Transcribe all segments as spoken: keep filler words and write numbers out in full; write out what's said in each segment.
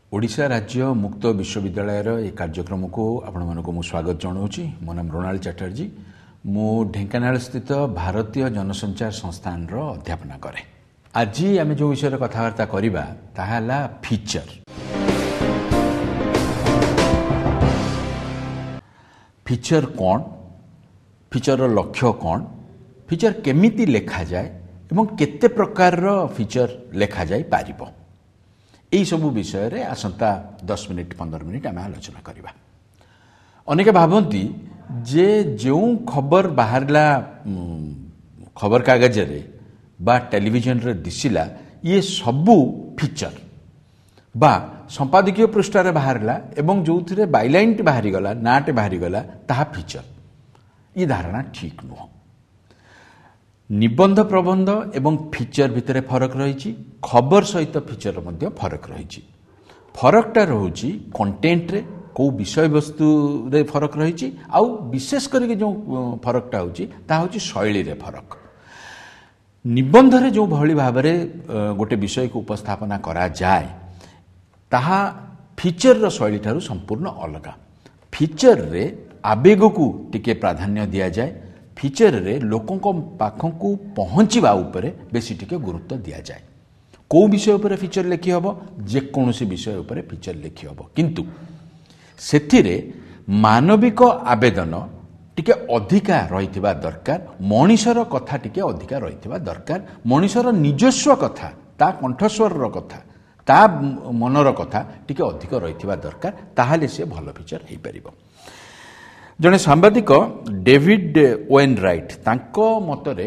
ଓଡ଼ିଶା ରାଜ୍ୟ ମୁକ୍ତ ବିଶ୍ୱବିଦ୍ୟାଳୟର ଏ କାର୍ଯ୍ୟକ୍ରମକୁ ଆପଣମାନଙ୍କୁ ମୁଁ ସ୍ୱାଗତ ଜଣାଉଛି। ମୋ ନାମ ମୃଣାଳ ଚାଟାର୍ଜୀ। ମୁଁ ଢେଙ୍କାନାଳ ସ୍ଥିତ ଭାରତୀୟ ଜନସଞ୍ଚାର ସଂସ୍ଥାନର ଅଧ୍ୟାପନା କରେ। ଆଜି ଆମେ ଯେଉଁ ବିଷୟରେ କଥାବାର୍ତ୍ତା କରିବା ତାହା ହେଲା ଫିଚର। ଫିଚର କ'ଣ, ଫିଚରର ଲକ୍ଷ୍ୟ କ'ଣ, ଫିଚର କେମିତି ଲେଖାଯାଏ ଏବଂ କେତେ ପ୍ରକାରର ଫିଚର ଲେଖାଯାଇପାରିବ, ଏଇସବୁ ବିଷୟରେ ଆସନ୍ତା ଦଶ ମିନିଟ୍ ପନ୍ଦର ମିନିଟ୍ ଆମେ ଆଲୋଚନା କରିବା। ଅନେକ ଭାବନ୍ତି ଯେ ଯେଉଁ ଖବର ବାହାରିଲା ଖବରକାଗଜରେ ବା ଟେଲିଭିଜନରେ ଦିଶିଲା ଇଏ ସବୁ ଫିଚର, ବା ସମ୍ପାଦକୀୟ ପୃଷ୍ଠାରେ ବାହାରିଲା ଏବଂ ଯେଉଁଥିରେ ବାଇଲାଇନ୍ଟି ବାହାରିଗଲା, ନାଁଟି ବାହାରିଗଲା, ତାହା ଫିଚର। ଏ ଧାରଣା ଠିକ୍ ନୁହଁ। ନିବନ୍ଧ ପ୍ରବନ୍ଧ ଏବଂ ଫିଚର ଭିତରେ ଫରକ ରହିଛି, ଖବର ସହିତ ଫିଚର ମଧ୍ୟ ଫରକ ରହିଛି। ଫରକଟା ରହୁଛି କଣ୍ଟେଣ୍ଟରେ, କେଉଁ ବିଷୟବସ୍ତୁରେ ଫରକ ରହିଛି, ଆଉ ବିଶେଷ କରିକି ଯେଉଁ ଫରକଟା ହେଉଛି ତାହା ହେଉଛି ଶୈଳୀରେ ଫରକ। ନିବନ୍ଧରେ ଯେଉଁଭଳି ଭାବରେ ଗୋଟେ ବିଷୟକୁ ଉପସ୍ଥାପନା କରାଯାଏ ତାହା ଫିଚରର ଶୈଳୀଠାରୁ ସମ୍ପୂର୍ଣ୍ଣ ଅଲଗା। ଫିଚରରେ ଆବେଗକୁ ଟିକେ ପ୍ରାଧାନ୍ୟ ଦିଆଯାଏ, ଫିଚରରେ ଲୋକଙ୍କ ପାଖକୁ ପହଞ୍ଚିବା ଉପରେ ବେଶୀ ଟିକେ ଗୁରୁତ୍ୱ ଦିଆଯାଏ। କେଉଁ ବିଷୟ ଉପରେ ଫିଚର ଲେଖି ହେବ? ଯେକୌଣସି ବିଷୟ ଉପରେ ଫିଚର ଲେଖି ହେବ, କିନ୍ତୁ ସେଥିରେ ମାନବିକ ଆବେଦନ ଟିକେ ଅଧିକା ରହିଥିବା ଦରକାର, ମଣିଷର କଥା ଟିକେ ଅଧିକା ରହିଥିବା ଦରକାର, ମଣିଷର ନିଜସ୍ୱ କଥା, ତା କଣ୍ଠସ୍ୱରର କଥା, ତା ମନର କଥା ଟିକେ ଅଧିକ ରହିଥିବା ଦରକାର, ତାହେଲେ ସେ ଭଲ ଫିଚର ହେଇପାରିବ। ଜଣେ ସାମ୍ବାଦିକ ଡେଭିଡ୍ ଓଏନ୍ ରାଇଟ୍, ତାଙ୍କ ମତରେ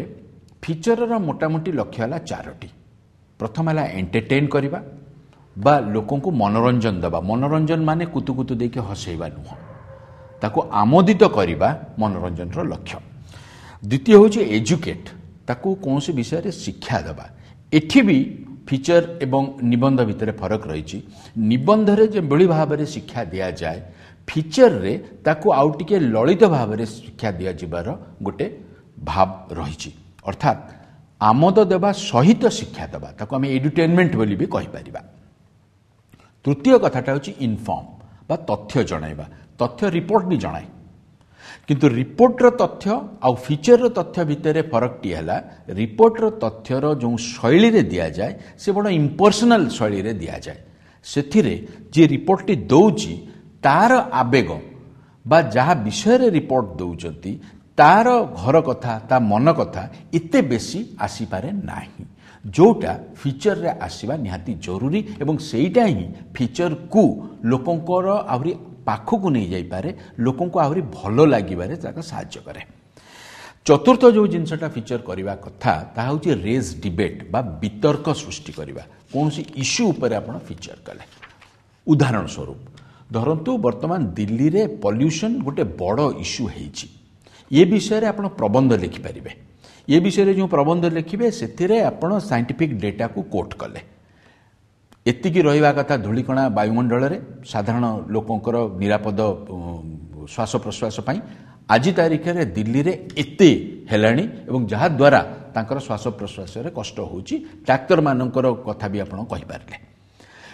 ଫିଚରର ମୋଟାମୋଟି ଲକ୍ଷ୍ୟ ହେଲା ଚାରୋଟି। ପ୍ରଥମ ହେଲା ଏଣ୍ଟରଟେନ୍ କରିବା ବା ଲୋକଙ୍କୁ ମନୋରଞ୍ଜନ ଦେବା। ମନୋରଞ୍ଜନ ମାନେ କୁତୁ କୁତୁ ଦେଇକି ହସେଇବା ନୁହଁ, ତାକୁ ଆମୋଦିତ କରିବା ମନୋରଞ୍ଜନର ଲକ୍ଷ୍ୟ। ଦ୍ୱିତୀୟ ହେଉଛି ଏଜୁକେଟ୍, ତାକୁ କୌଣସି ବିଷୟରେ ଶିକ୍ଷା ଦେବା। ଏଠି ବି ଫିଚର ଏବଂ ନିବନ୍ଧ ଭିତରେ ଫରକ ରହିଛି। ନିବନ୍ଧରେ ଯେଭଳି ଭାବରେ ଶିକ୍ଷା ଦିଆଯାଏ, ଫିଚରରେ ତାକୁ ଆଉ ଟିକେ ଲଳିତ ଭାବରେ ଶିକ୍ଷା ଦିଆଯିବାର ଗୋଟେ ଭାବ ରହିଛି। ଅର୍ଥାତ୍ ଆମୋଦ ଦେବା ସହିତ ଶିକ୍ଷା ଦେବା, ତାକୁ ଆମେ ଏଡୁଟେନମେଣ୍ଟ ବୋଲି ବି କହିପାରିବା। ତୃତୀୟ କଥାଟା ହେଉଛି ଇନଫର୍ମ ବା ତଥ୍ୟ ଜଣାଇବା। ତଥ୍ୟ ରିପୋର୍ଟ ବି ଜଣାଏ, କିନ୍ତୁ ରିପୋର୍ଟର ତଥ୍ୟ ଆଉ ଫିଚରର ତଥ୍ୟ ଭିତରେ ଫରକଟି ହେଲା ରିପୋର୍ଟର ତଥ୍ୟର ଯେଉଁ ଶୈଳୀରେ ଦିଆଯାଏ ସେ ବଡ଼ ଇମ୍ପର୍ସନାଲ ଶୈଳୀରେ ଦିଆଯାଏ। ସେଥିରେ ଯିଏ ରିପୋର୍ଟଟି ଦେଉଛି ତାର ଆବେଗ ବା ଯାହା ବିଷୟରେ ରିପୋର୍ଟ ଦେଉଛନ୍ତି ତାର ଘର କଥା, ତା ମନ କଥା ଏତେ ବେଶୀ ଆସିପାରେ ନାହିଁ, ଯେଉଁଟା ଫିଚରରେ ଆସିବା ନିହାତି ଜରୁରୀ। ଏବଂ ସେଇଟା ହିଁ ଫିଚରକୁ ଲୋକଙ୍କର ଆହୁରି ପାଖକୁ ନେଇଯାଇପାରେ, ଲୋକଙ୍କୁ ଆହୁରି ଭଲ ଲାଗିବାରେ ତାକୁ ସାହାଯ୍ୟ କରେ। ଚତୁର୍ଥ ଯେଉଁ ଜିନିଷଟା ଫିଚର କରିବା କଥା ତାହା ହେଉଛି ରେଜ୍ ଡିବେଟ୍ ବା ବିତର୍କ ସୃଷ୍ଟି କରିବା। କୌଣସି ଇସ୍ୟୁ ଉପରେ ଆପଣ ଫିଚର କଲେ, ଉଦାହରଣ ସ୍ୱରୂପ ଧରନ୍ତୁ ବର୍ତ୍ତମାନ ଦିଲ୍ଲୀରେ ପଲ୍ୟୁସନ୍ ଗୋଟେ ବଡ଼ ଇସ୍ୟୁ ହେଇଛି, ଏ ବିଷୟରେ ଆପଣ ପ୍ରବନ୍ଧ ଲେଖିପାରିବେ। ଏ ବିଷୟରେ ଯେଉଁ ପ୍ରବନ୍ଧ ଲେଖିବେ ସେଥିରେ ଆପଣ ସାଇଣ୍ଟିଫିକ୍ ଡେଟାକୁ କୋଟ୍ କଲେ, ଏତିକି ରହିବା କଥା ଧୂଳିକଣା ବାୟୁମଣ୍ଡଳରେ ସାଧାରଣ ଲୋକଙ୍କର ନିରାପଦ ଶ୍ୱାସ ପ୍ରଶ୍ୱାସ ପାଇଁ, ଆଜି ତାରିଖରେ ଦିଲ୍ଲୀରେ ଏତେ ହେଲାଣି ଏବଂ ଯାହାଦ୍ୱାରା ତାଙ୍କର ଶ୍ୱାସ ପ୍ରଶ୍ୱାସରେ କଷ୍ଟ ହେଉଛି, ଡାକ୍ତରମାନଙ୍କର କଥା ବି ଆପଣ କହିପାରିଲେ।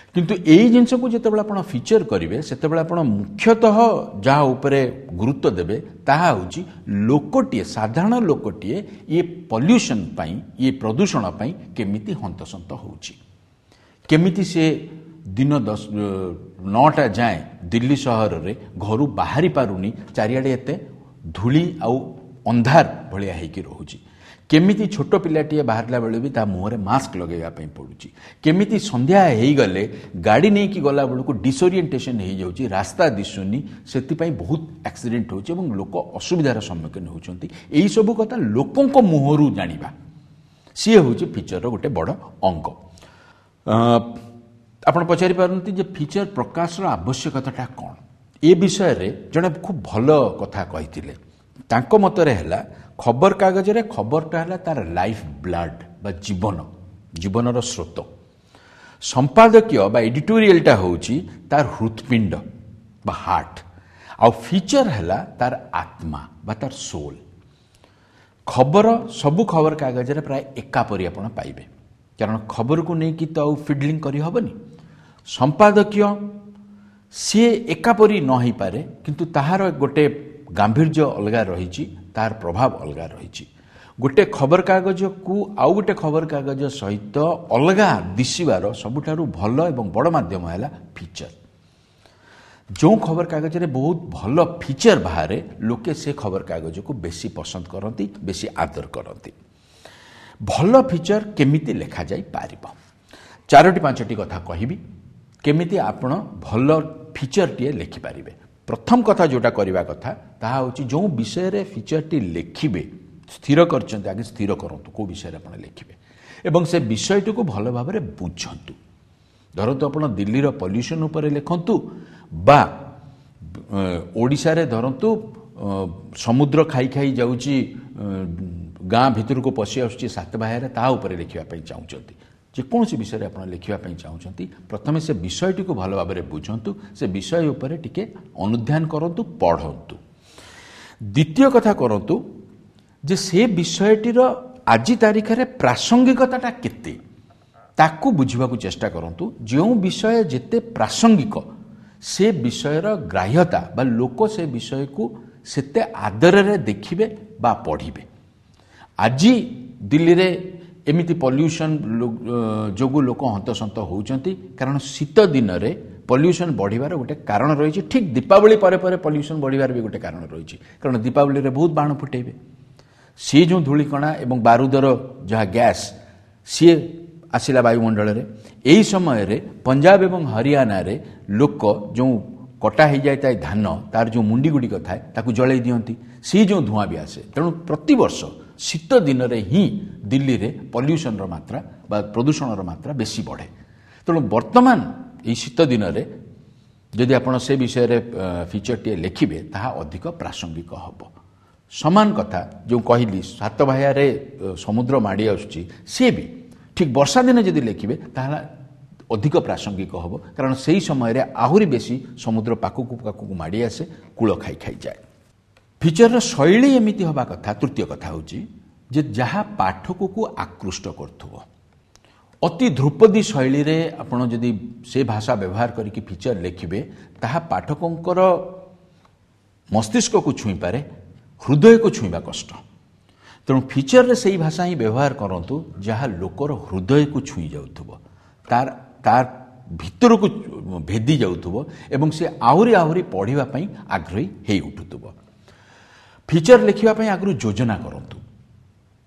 କିନ୍ତୁ ଏଇ ଜିନିଷକୁ ଯେତେବେଳେ ଆପଣ ଫିଚର କରିବେ ସେତେବେଳେ ଆପଣ ମୁଖ୍ୟତଃ ଯାହା ଉପରେ ଗୁରୁତ୍ୱ ଦେବେ ତାହା ହେଉଛି ଲୋକଟିଏ, ସାଧାରଣ ଲୋକଟିଏ ଇଏ ପଲ୍ୟୁସନ୍ ପାଇଁ, ଇଏ ପ୍ରଦୂଷଣ ପାଇଁ କେମିତି ହନ୍ତସନ୍ତ ହେଉଛି, କେମିତି ସେ ଦିନ ଦଶ ନଅଟା ଯାଏଁ ଦିଲ୍ଲୀ ସହରରେ ଘରୁ ବାହାରି ପାରୁନି, ଚାରିଆଡ଼େ ଏତେ ଧୂଳି ଆଉ ଅନ୍ଧାର ଭଳିଆ ହେଇକି ରହୁଛି, କେମିତି ଛୋଟ ପିଲାଟିଏ ବାହାରିଲା ବେଳେ ବି ତା ମୁହଁରେ ମାସ୍କ ଲଗାଇବା ପାଇଁ ପଡ଼ୁଛି, କେମିତି ସନ୍ଧ୍ୟା ହେଇଗଲେ ଗାଡ଼ି ନେଇକି ଗଲାବେଳକୁ ଡିସଓରିଏଣ୍ଟେସନ୍ ହେଇଯାଉଛି, ରାସ୍ତା ଦିଶୁନି, ସେଥିପାଇଁ ବହୁତ ଆକ୍ସିଡେଣ୍ଟ ହେଉଛି ଏବଂ ଲୋକ ଅସୁବିଧାର ସମ୍ମୁଖୀନ ହେଉଛନ୍ତି। ଏଇସବୁ କଥା ଲୋକଙ୍କ ମୁହଁରୁ ଜାଣିବା ସିଏ ହେଉଛି ଫିଚରର ଗୋଟେ ବଡ଼ ଅଙ୍ଗ। ଆପଣ ପଚାରି ପାରନ୍ତି ଯେ ଫିଚର ପ୍ରକାଶର ଆବଶ୍ୟକତାଟା କ'ଣ? ଏ ବିଷୟରେ ଜଣେ ଖୁବ୍ ଭଲ କଥା କହିଥିଲେ। ତାଙ୍କ ମତରେ ହେଲା ଖବରକାଗଜରେ ଖବରଟା ହେଲା ତାର ଲାଇଫ୍ ବ୍ଲଡ୍ ବା ଜୀବନ, ଜୀବନର ସ୍ରୋତ। ସମ୍ପାଦକୀୟ ବା ଏଡିଟୋରିଆଲଟା ହେଉଛି ତାର ହୃତ୍ପିଣ୍ଡ ବା ହାର୍ଟ, ଆଉ ଫିଚର ହେଲା ତାର ଆତ୍ମା ବା ତାର ସୋଲ୍। ଖବର ସବୁ ଖବରକାଗଜରେ ପ୍ରାୟ ଏକାପରି ଆପଣ ପାଇବେ, କାରଣ ଖବରକୁ ନେଇକି ତ ଆଉ ଫିଡଲିଂ କରିହେବନି। ସମ୍ପାଦକୀୟ ସିଏ ଏକାପରି ନ ହେଇପାରେ, କିନ୍ତୁ ତାହାର ଗୋଟେ ଗାମ୍ଭୀର୍ଯ୍ୟ ଅଲଗା ରହିଛି, ତାହାର ପ୍ରଭାବ ଅଲଗା ରହିଛି। ଗୋଟେ ଖବରକାଗଜକୁ ଆଉ ଗୋଟେ ଖବରକାଗଜ ସହିତ ଅଲଗା ଦିଶିବାର ସବୁଠାରୁ ଭଲ ଏବଂ ବଡ଼ ମାଧ୍ୟମ ହେଲା ଫିଚର। ଯେଉଁ ଖବରକାଗଜରେ ବହୁତ ଭଲ ଫିଚର ବାହାରେ, ଲୋକେ ସେ ଖବରକାଗଜକୁ ବେଶୀ ପସନ୍ଦ କରନ୍ତି, ବେଶୀ ଆଦର କରନ୍ତି। ଭଲ ଫିଚର କେମିତି ଲେଖାଯାଇପାରିବ, ଚାରୋଟି ପାଞ୍ଚଟି କଥା କହିବି କେମିତି ଆପଣ ଭଲ ଫିଚରଟିଏ ଲେଖିପାରିବେ। ପ୍ରଥମ କଥା ଯେଉଁଟା କରିବା କଥା ତାହା ହେଉଛି, ଯେଉଁ ବିଷୟରେ ଫିଚରଟି ଲେଖିବେ ସ୍ଥିର କରିଛନ୍ତି, ଆଗେ ସ୍ଥିର କରନ୍ତୁ କେଉଁ ବିଷୟରେ ଆପଣ ଲେଖିବେ ଏବଂ ସେ ବିଷୟଟିକୁ ଭଲ ଭାବରେ ବୁଝନ୍ତୁ। ଧରନ୍ତୁ ଆପଣ ଦିଲ୍ଲୀର ପଲ୍ୟୁସନ୍ ଉପରେ ଲେଖନ୍ତୁ ବା ଓଡ଼ିଶାରେ ଧରନ୍ତୁ ସମୁଦ୍ର ଖାଇ ଖାଇ ଯାଉଛି, ଗାଁ ଭିତରକୁ ପଶି ଆସୁଛି ସାତବାହାରେ, ତାହା ଉପରେ ଲେଖିବା ପାଇଁ ଚାହୁଁଛନ୍ତି, ଯେକୌଣସି ବିଷୟରେ ଆପଣ ଲେଖିବା ପାଇଁ ଚାହୁଁଛନ୍ତି, ପ୍ରଥମେ ସେ ବିଷୟଟିକୁ ଭଲ ଭାବରେ ବୁଝନ୍ତୁ, ସେ ବିଷୟ ଉପରେ ଟିକେ ଅନୁଧ୍ୟାନ କରନ୍ତୁ, ପଢ଼ନ୍ତୁ। ଦ୍ୱିତୀୟ କଥା କରନ୍ତୁ ଯେ ସେ ବିଷୟଟିର ଆଜି ତାରିଖରେ ପ୍ରାସଙ୍ଗିକତାଟା କେତେ ତାକୁ ବୁଝିବାକୁ ଚେଷ୍ଟା କରନ୍ତୁ। ଯେଉଁ ବିଷୟ ଯେତେ ପ୍ରାସଙ୍ଗିକ ସେ ବିଷୟର ଗ୍ରାହ୍ୟତା ବା ଲୋକ ସେ ବିଷୟକୁ ସେତେ ଆଦରରେ ଦେଖିବେ ବା ପଢ଼ିବେ। ଆଜି ଦିଲ୍ଲୀରେ ଏମିତି ପଲ୍ୟୁସନ୍ ଯୋଗୁଁ ଲୋକ ହନ୍ତସନ୍ତ ହେଉଛନ୍ତି, କାରଣ ଶୀତ ଦିନରେ ପଲ୍ୟୁସନ୍ ବଢ଼ିବାର ଗୋଟେ କାରଣ ରହିଛି। ଠିକ୍ ଦୀପାବଳି ପରେ ପରେ ପଲ୍ୟୁସନ୍ ବଢ଼ିବାର ବି ଗୋଟେ କାରଣ ରହିଛି, କାରଣ ଦୀପାବଳିରେ ବହୁତ ବାଣ ଫୁଟେଇବେ, ସିଏ ଯେଉଁ ଧୂଳିକଣା ଏବଂ ବାରୁଦର ଯାହା ଗ୍ୟାସ୍ ସିଏ ଆସିଲା ବାୟୁମଣ୍ଡଳରେ। ଏହି ସମୟରେ ପଞ୍ଜାବ ଏବଂ ହରିୟାଣାରେ ଲୋକ ଯେଉଁ କଟା ହେଇଯାଇଥାଏ ଧାନ, ତାର ଯେଉଁ ମୁଣ୍ଡି ଗୁଡ଼ିକ ଥାଏ ତାକୁ ଜଳେଇ ଦିଅନ୍ତି, ସିଏ ଯେଉଁ ଧୂଆଁ ବି ଆସେ। ତେଣୁ ପ୍ରତିବର୍ଷ ଶୀତ ଦିନରେ ହିଁ ଦିଲ୍ଲୀରେ ପଲ୍ୟୁସନର ମାତ୍ରା ବା ପ୍ରଦୂଷଣର ମାତ୍ରା ବେଶୀ ବଢ଼େ। ତେଣୁ ବର୍ତ୍ତମାନ ଏହି ଶୀତ ଦିନରେ ଯଦି ଆପଣ ସେ ବିଷୟରେ ଫିଚରଟିଏ ଲେଖିବେ ତାହା ଅଧିକ ପ୍ରାସଙ୍ଗିକ ହେବ। ସମାନ କଥା ଯେଉଁ କହିଲି ସାତବାହାରେ ସମୁଦ୍ର ମାଡ଼ି ଆସୁଛି, ସିଏ ବି ଠିକ୍ ବର୍ଷା ଦିନେ ଯଦି ଲେଖିବେ ତାହେଲେ ଅଧିକ ପ୍ରାସଙ୍ଗିକ ହେବ, କାରଣ ସେହି ସମୟରେ ଆହୁରି ବେଶୀ ସମୁଦ୍ର ପାଖକୁ ପାଖକୁ ମାଡ଼ି ଆସେ, କୂଳ ଖାଇ ଖାଇଯାଏ। ଫିଚରର ଶୈଳୀ ଏମିତି ହେବା କଥା। ତୃତୀୟ କଥା ହେଉଛି ଯେ ଯାହା ପାଠକକୁ ଆକୃଷ୍ଟ କରୁଥିବ। ଅତି ଧ୍ରୁପଦୀ ଶୈଳୀରେ ଆପଣ ଯଦି ସେ ଭାଷା ବ୍ୟବହାର କରିକି ଫିଚର ଲେଖିବେ ତାହା ପାଠକଙ୍କର ମସ୍ତିଷ୍କକୁ ଛୁଇଁପାରେ, ହୃଦୟକୁ ଛୁଇଁବା କଷ୍ଟ। ତେଣୁ ଫିଚରରେ ସେଇ ଭାଷା ହିଁ ବ୍ୟବହାର କରନ୍ତୁ ଯାହା ଲୋକର ହୃଦୟକୁ ଛୁଇଁ ଯାଉଥିବ, ତାର ତାର ଭିତରକୁ ଭେଦି ଯାଉଥିବ ଏବଂ ସେ ଆହୁରି ଆହୁରି ପଢ଼ିବା ପାଇଁ ଆଗ୍ରହୀ ହେଇ ଉଠୁଥିବ। ଫିଚର ଲେଖିବା ପାଇଁ ଆଗରୁ ଯୋଜନା କରନ୍ତୁ।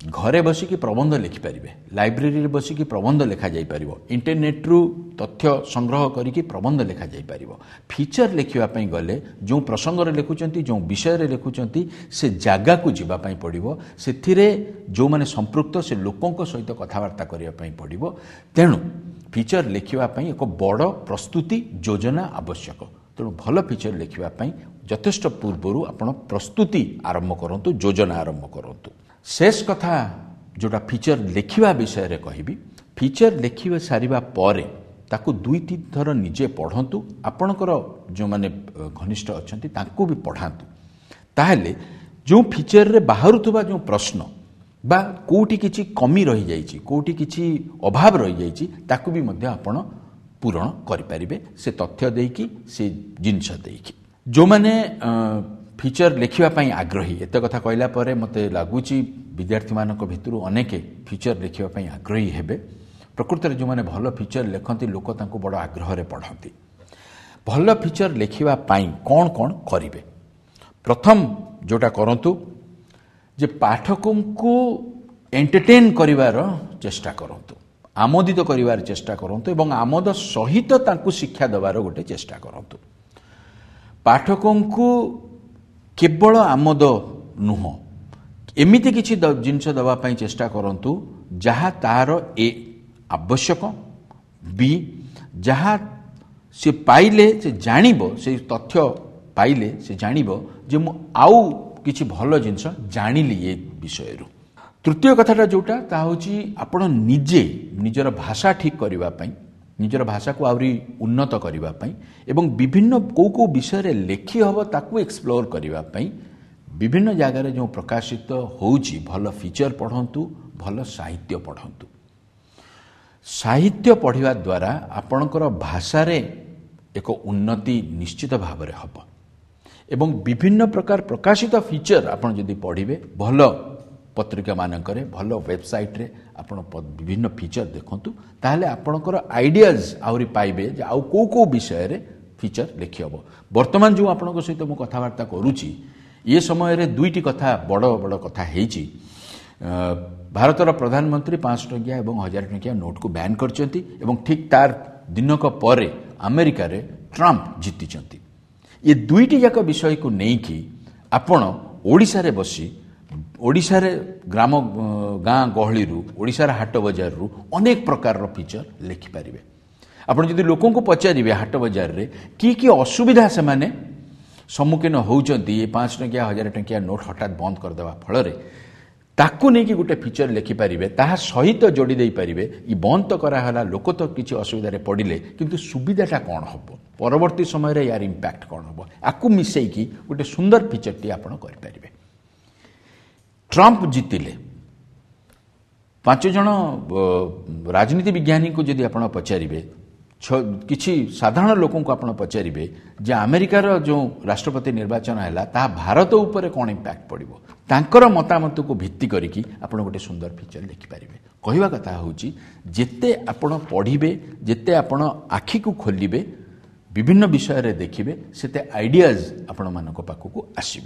ଘରେ ବସିକି ପ୍ରବନ୍ଧ ଲେଖିପାରିବେ, ଲାଇବ୍ରେରୀରେ ବସିକି ପ୍ରବନ୍ଧ ଲେଖାଯାଇପାରିବ, ଇଣ୍ଟରନେଟ୍ରୁ ତଥ୍ୟ ସଂଗ୍ରହ କରିକି ପ୍ରବନ୍ଧ ଲେଖାଯାଇପାରିବ। ଫିଚର ଲେଖିବା ପାଇଁ ଗଲେ ଯେଉଁ ପ୍ରସଙ୍ଗରେ ଲେଖୁଛନ୍ତି, ଯେଉଁ ବିଷୟରେ ଲେଖୁଛନ୍ତି, ସେ ଜାଗାକୁ ଯିବା ପାଇଁ ପଡ଼ିବ, ସେଥିରେ ଯେଉଁମାନେ ସମ୍ପୃକ୍ତ ସେ ଲୋକଙ୍କ ସହିତ କଥାବାର୍ତ୍ତା କରିବା ପାଇଁ ପଡ଼ିବ। ତେଣୁ ଫିଚର ଲେଖିବା ପାଇଁ ଏକ ବଡ଼ ପ୍ରସ୍ତୁତି ଯୋଜନା ଆବଶ୍ୟକ। ତେଣୁ ଭଲ ଫିଚର ଲେଖିବା ପାଇଁ ଯଥେଷ୍ଟ ପୂର୍ବରୁ ଆପଣ ପ୍ରସ୍ତୁତି ଆରମ୍ଭ କରନ୍ତୁ, ଯୋଜନା ଆରମ୍ଭ କରନ୍ତୁ। ଶେଷ କଥା ଯେଉଁଟା ଫିଚର ଲେଖିବା ବିଷୟରେ କହିବି, ଫିଚର ଲେଖିବା ସାରିବା ପରେ ତାକୁ ଦୁଇ ତିନି ଥର ନିଜେ ପଢ଼ନ୍ତୁ, ଆପଣଙ୍କର ଯେଉଁମାନେ ଘନିଷ୍ଠ ଅଛନ୍ତି ତାଙ୍କୁ ବି ପଢ଼ାନ୍ତୁ। ତାହେଲେ ଯେଉଁ ଫିଚରରେ ବାହାରୁଥିବା ଯେଉଁ ପ୍ରଶ୍ନ ବା କେଉଁଠି କିଛି କମି ରହିଯାଇଛି, କେଉଁଠି କିଛି ଅଭାବ ରହିଯାଇଛି, ତାକୁ ବି ମଧ୍ୟ ଆପଣ ପୂରଣ କରିପାରିବେ ସେ ତଥ୍ୟ ଦେଇକି, ସେ ଜିନିଷ ଦେଇକି। ଯେଉଁମାନେ ଫିଚର ଲେଖିବା ପାଇଁ ଆଗ୍ରହୀ, ଏତେ କଥା କହିଲା ପରେ ମୋତେ ଲାଗୁଛି ବିଦ୍ୟାର୍ଥୀମାନଙ୍କ ଭିତରୁ ଅନେକେ ଫିଚର ଲେଖିବା ପାଇଁ ଆଗ୍ରହୀ ହେବେ। ପ୍ରକୃତରେ ଯେଉଁମାନେ ଭଲ ଫିଚର ଲେଖନ୍ତି ଲୋକ ତାଙ୍କୁ ବଡ଼ ଆଗ୍ରହରେ ପଢ଼ନ୍ତି। ଭଲ ଫିଚର ଲେଖିବା ପାଇଁ କ'ଣ କ'ଣ କରିବେ? ପ୍ରଥମ ଯେଉଁଟା କରନ୍ତୁ ଯେ ପାଠକଙ୍କୁ ଏଣ୍ଟରଟେନ୍ କରିବାର ଚେଷ୍ଟା କରନ୍ତୁ, ଆମୋଦିତ କରିବାର ଚେଷ୍ଟା କରନ୍ତୁ ଏବଂ ଆମୋଦ ସହିତ ତାଙ୍କୁ ଶିକ୍ଷା ଦେବାର ଗୋଟେ ଚେଷ୍ଟା କରନ୍ତୁ। ପାଠକଙ୍କୁ କେବଳ ଆମୋଦ ନୁହଁ, ଏମିତି କିଛି ଜିନିଷ ଦେବା ପାଇଁ ଚେଷ୍ଟା କରନ୍ତୁ ଯାହା ତାର ଏ ଆବଶ୍ୟକ, ବି ଯାହା ସେ ପାଇଲେ ସେ ଜାଣିବ, ସେ ତଥ୍ୟ ପାଇଲେ ସେ ଜାଣିବ ଯେ ମୁଁ ଆଉ କିଛି ଭଲ ଜିନିଷ ଜାଣିଲି ଏ ବିଷୟରୁ। ତୃତୀୟ କଥାଟା ଯେଉଁଟା ତାହା ହେଉଛି ଆପଣ ନିଜେ ନିଜର ଭାଷା ଠିକ୍ କରିବା ପାଇଁ, ନିଜର ଭାଷାକୁ ଆହୁରି ଉନ୍ନତ କରିବା ପାଇଁ ଏବଂ ବିଭିନ୍ନ କେଉଁ କେଉଁ ବିଷୟରେ ଲେଖି ହେବ ତାକୁ ଏକ୍ସପ୍ଲୋର କରିବା ପାଇଁ ବିଭିନ୍ନ ଜାଗାରେ ଯେଉଁ ପ୍ରକାଶିତ ହେଉଛି ଭଲ ଫିଚର ପଢ଼ନ୍ତୁ, ଭଲ ସାହିତ୍ୟ ପଢ଼ନ୍ତୁ। ସାହିତ୍ୟ ପଢ଼ିବା ଦ୍ୱାରା ଆପଣଙ୍କର ଭାଷାରେ ଏକ ଉନ୍ନତି ନିଶ୍ଚିତ ଭାବରେ ହେବ ଏବଂ ବିଭିନ୍ନ ପ୍ରକାର ପ୍ରକାଶିତ ଫିଚର ଆପଣ ଯଦି ପଢ଼ିବେ, ଭଲ ପତ୍ରିକାମାନଙ୍କରେ, ଭଲ ୱେବସାଇଟ୍ରେ ଆପଣ ବିଭିନ୍ନ ଫିଚର ଦେଖନ୍ତୁ, ତାହେଲେ ଆପଣଙ୍କର ଆଇଡ଼ିଆଜ୍ ଆହୁରି ପାଇବେ ଯେ ଆଉ କେଉଁ କେଉଁ ବିଷୟରେ ଫିଚର ଲେଖି ହେବ। ବର୍ତ୍ତମାନ ଯେଉଁ ଆପଣଙ୍କ ସହିତ ମୁଁ କଥାବାର୍ତ୍ତା କରୁଛି, ଏ ସମୟରେ ଦୁଇଟି କଥା ବଡ଼ ବଡ଼ କଥା ହେଇଛି। ଭାରତର ପ୍ରଧାନମନ୍ତ୍ରୀ ପାଞ୍ଚଶହ ଟଙ୍କିଆ ଏବଂ ହଜାର ଟଙ୍କିଆ ନୋଟ୍କୁ ବ୍ୟାନ୍ କରିଛନ୍ତି ଏବଂ ଠିକ୍ ତାର ଦିନକ ପରେ ଆମେରିକାରେ ଟ୍ରମ୍ପ ଜିତିଛନ୍ତି। ଏ ଦୁଇଟି ଯାକ ବିଷୟକୁ ନେଇକି ଆପଣ ଓଡ଼ିଶାରେ ବସି, ଓଡ଼ିଶାରେ ଗ୍ରାମ ଗାଁ ଗହଳିରୁ, ଓଡ଼ିଶାର ହାଟ ବଜାରରୁ ଅନେକ ପ୍ରକାରର ଫିଚର ଲେଖିପାରିବେ। ଆପଣ ଯଦି ଲୋକଙ୍କୁ ପଚାରିବେ ହାଟ ବଜାରରେ କି କି ଅସୁବିଧା ସେମାନେ ସମ୍ମୁଖୀନ ହେଉଛନ୍ତି ଏ ପାଞ୍ଚ ଟଙ୍କିଆ ହଜାର ଟଙ୍କିଆ ନୋଟ୍ ହଠାତ୍ ବନ୍ଦ କରିଦେବା ଫଳରେ, ତାକୁ ନେଇକି ଗୋଟେ ଫିଚର ଲେଖିପାରିବେ। ତାହା ସହିତ ଯୋଡ଼ି ଦେଇପାରିବେ ଇ ବନ୍ଦ ତ କରାହେଲା, ଲୋକ ତ କିଛି ଅସୁବିଧାରେ ପଡ଼ିଲେ, କିନ୍ତୁ ସୁବିଧାଟା କ'ଣ ହେବ, ପରବର୍ତ୍ତୀ ସମୟରେ ୟାର ଇମ୍ପାକ୍ଟ କ'ଣ ହେବ, ଆକୁ ମିଶେଇକି ଗୋଟେ ସୁନ୍ଦର ଫିଚରଟି ଆପଣ କରିପାରିବେ। ଟ୍ରମ୍ପ ଜିତିଲେ, ପାଞ୍ଚ ଜଣ ରାଜନୀତି ବିଜ୍ଞାନୀଙ୍କୁ ଯଦି ଆପଣ ପଚାରିବେ, କିଛି ସାଧାରଣ ଲୋକଙ୍କୁ ଆପଣ ପଚାରିବେ ଯେ ଆମେରିକାର ଯେଉଁ ରାଷ୍ଟ୍ରପତି ନିର୍ବାଚନ ହେଲା ତାହା ଭାରତ ଉପରେ କ'ଣ ଇମ୍ପାକ୍ଟ ପଡ଼ିବ, ତାଙ୍କର ମତାମତକୁ ଭିତ୍ତି କରିକି ଆପଣ ଗୋଟେ ସୁନ୍ଦର ଫିଚର ଲେଖିପାରିବେ। କହିବା କଥା ହେଉଛି ଯେତେ ଆପଣ ପଢ଼ିବେ, ଯେତେ ଆପଣ ଆଖିକୁ ଖୋଲିବେ, ବିଭିନ୍ନ ବିଷୟରେ ଦେଖିବେ, ସେତେ ଆଇଡ଼ିଆଜ୍ ଆପଣମାନଙ୍କ ପାଖକୁ ଆସିବ।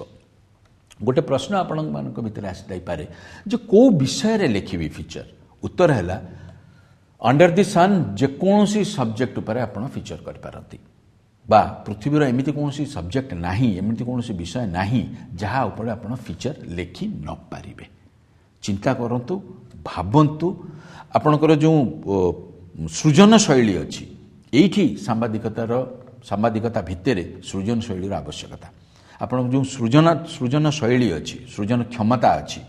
ଗୋଟେ ପ୍ରଶ୍ନ ଆପଣମାନଙ୍କ ଭିତରେ ଆସିଯାଇପାରେ ଯେ କେଉଁ ବିଷୟରେ ଲେଖିବି ଫିଚର? ଉତ୍ତର ହେଲା ଅଣ୍ଡର ଦି ସନ୍ ଯେକୌଣସି ସବଜେକ୍ଟ ଉପରେ ଆପଣ ଫିଚର କରିପାରନ୍ତି, ବା ପୃଥିବୀର ଏମିତି କୌଣସି ସବଜେକ୍ଟ ନାହିଁ, ଏମିତି କୌଣସି ବିଷୟ ନାହିଁ ଯାହା ଉପରେ ଆପଣ ଫିଚର ଲେଖି ନପାରିବେ। ଚିନ୍ତା କରନ୍ତୁ, ଭାବନ୍ତୁ। ଆପଣଙ୍କର ଯେଉଁ ସୃଜନ ଶୈଳୀ ଅଛି, ଏଇଠି ସାମ୍ବାଦିକତାର ସାମ୍ବାଦିକତା ଭିତରେ ସୃଜନ ଶୈଳୀର ଆବଶ୍ୟକତା। ଆପଣଙ୍କ ଯେଉଁ ସୃଜନ ସୃଜନ ଶୈଳୀ ଅଛି, ସୃଜନ କ୍ଷମତା ଅଛି,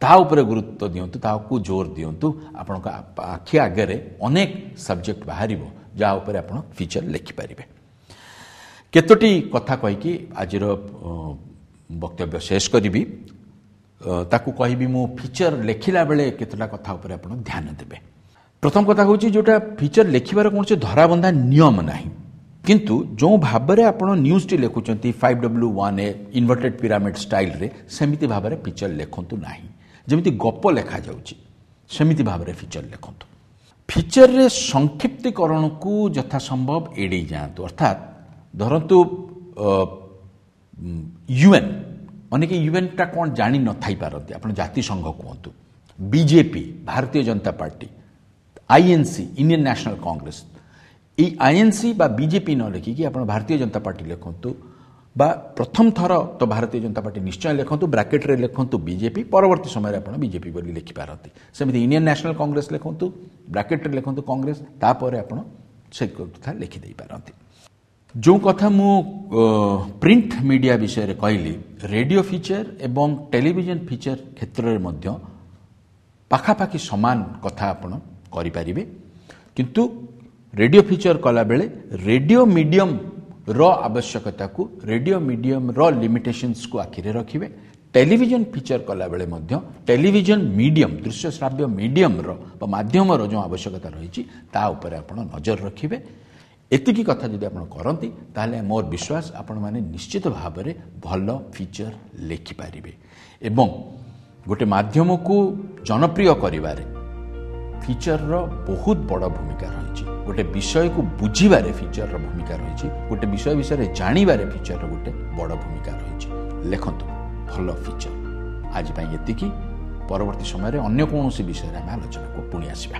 ତା ଉପରେ ଗୁରୁତ୍ୱ ଦିଅନ୍ତୁ, ତାହାକୁ ଜୋର ଦିଅନ୍ତୁ। ଆପଣଙ୍କ ଆଖି ଆଗରେ ଅନେକ ସବଜେକ୍ଟ ବାହାରିବ ଯାହା ଉପରେ ଆପଣ ଫିଚର ଲେଖିପାରିବେ। କେତୋଟି କଥା କହିକି ଆଜିର ବକ୍ତବ୍ୟ ଶେଷ କରିବି। ତାକୁ କହିବି ମୁଁ ଫିଚର ଲେଖିଲା ବେଳେ କେତୋଟା କଥା ଉପରେ ଆପଣ ଧ୍ୟାନ ଦେବେ। ପ୍ରଥମ କଥା ହେଉଛି ଯେଉଁଟା ଫିଚର ଲେଖିବାର କୌଣସି ଧରାବନ୍ଧା ନିୟମ ନାହିଁ, କିନ୍ତୁ ଯେଉଁ ଭାବରେ ଆପଣ ନ୍ୟୁଜ୍ଟି ଲେଖୁଛନ୍ତି five W one A inverted pyramid ଷ୍ଟାଇଲ୍ରେ, ସେମିତି ଭାବରେ ଫିଚର ଲେଖନ୍ତୁ ନାହିଁ। ଯେମିତି ଗପ ଲେଖାଯାଉଛି ସେମିତି ଭାବରେ ଫିଚର ଲେଖନ୍ତୁ। ଫିଚରରେ ସଂକ୍ଷିପ୍ତୀକରଣକୁ ଯଥାସମ୍ଭବ ଏଡ଼େଇ ଯାଆନ୍ତୁ। ଅର୍ଥାତ୍ ଧରନ୍ତୁ ୟୁଏନ୍, ଅନେକ ୟୁଏନ୍ଟା କ'ଣ ଜାଣି ନଥାଇପାରନ୍ତି, ଆପଣ ଜାତିସଂଘ କୁହନ୍ତୁ, BJP Bharatiya Janata party, INC Indian national Congress, ଏଇ ଆଇଏନ୍ସି ବା ବିଜେପି ନ ଲେଖିକି ଆପଣ ଭାରତୀୟ ଜନତା ପାର୍ଟି ଲେଖନ୍ତୁ, ବା ପ୍ରଥମ ଥର ତ ଭାରତୀୟ ଜନତା ପାର୍ଟି ନିଶ୍ଚୟ ଲେଖନ୍ତୁ, ବ୍ରାକେଟ୍ରେ ଲେଖନ୍ତୁ ବିଜେପି, ପରବର୍ତ୍ତୀ ସମୟରେ ଆପଣ ବିଜେପି ବୋଲି ଲେଖିପାରନ୍ତି। ସେମିତି ଇଣ୍ଡିଆନ୍ ନ୍ୟାସନାଲ୍ କଂଗ୍ରେସ ଲେଖନ୍ତୁ, ବ୍ରାକେଟ୍ରେ ଲେଖନ୍ତୁ କଂଗ୍ରେସ, ତାପରେ ଆପଣ ସେ କଥା ଲେଖିଦେଇପାରନ୍ତି। ଯେଉଁ କଥା ମୁଁ ପ୍ରିଣ୍ଟ ମିଡ଼ିଆ ବିଷୟରେ କହିଲି, ରେଡ଼ିଓ ଫିଚର ଏବଂ ଟେଲିଭିଜନ ଫିଚର କ୍ଷେତ୍ରରେ ମଧ୍ୟ ପାଖାପାଖି ସମାନ କଥା ଆପଣ କରିପାରିବେ। କିନ୍ତୁ ରେଡ଼ିଓ ଫିଚର କଲାବେଳେ ରେଡ଼ିଓ ମିଡ଼ିୟମର ଆବଶ୍ୟକତାକୁ, ରେଡ଼ିଓ ମିଡ଼ିୟମର ଲିମିଟେସନ୍ସକୁ ଆଖିରେ ରଖିବେ। ଟେଲିଭିଜନ ଫିଚର କଲାବେଳେ ମଧ୍ୟ ଟେଲିଭିଜନ ମିଡ଼ିୟମ, ଦୃଶ୍ୟ ଶ୍ରାବ୍ୟ ମିଡ଼ିୟମର ବା ମାଧ୍ୟମର ଯେଉଁ ଆବଶ୍ୟକତା ରହିଛି ତା ଉପରେ ଆପଣ ନଜର ରଖିବେ। ଏତିକି କଥା ଯଦି ଆପଣ କରନ୍ତି ତାହେଲେ ମୋର ବିଶ୍ୱାସ ଆପଣମାନେ ନିଶ୍ଚିତ ଭାବରେ ଭଲ ଫିଚର ଲେଖିପାରିବେ ଏବଂ ଗୋଟେ ମାଧ୍ୟମକୁ ଜନପ୍ରିୟ କରିବାରେ ଫିଚରର ବହୁତ ବଡ଼ ଭୂମିକା ରହିଛି। ଗୋଟେ ବିଷୟକୁ ବୁଝିବାରେ ଫିଚରର ଭୂମିକା ରହିଛି, ଗୋଟେ ବିଷୟ ବିଷୟରେ ଜାଣିବାରେ ଫିଚରର ଗୋଟେ ବଡ଼ ଭୂମିକା ରହିଛି। ଲେଖନ୍ତୁ ଭଲ ଫିଚର। ଆଜି ପାଇଁ ଏତିକି। ପରବର୍ତ୍ତୀ ସମୟରେ ଅନ୍ୟ କୌଣସି ବିଷୟରେ ଆମେ ଆଲୋଚନାକୁ ପୁଣି ଆସିବା।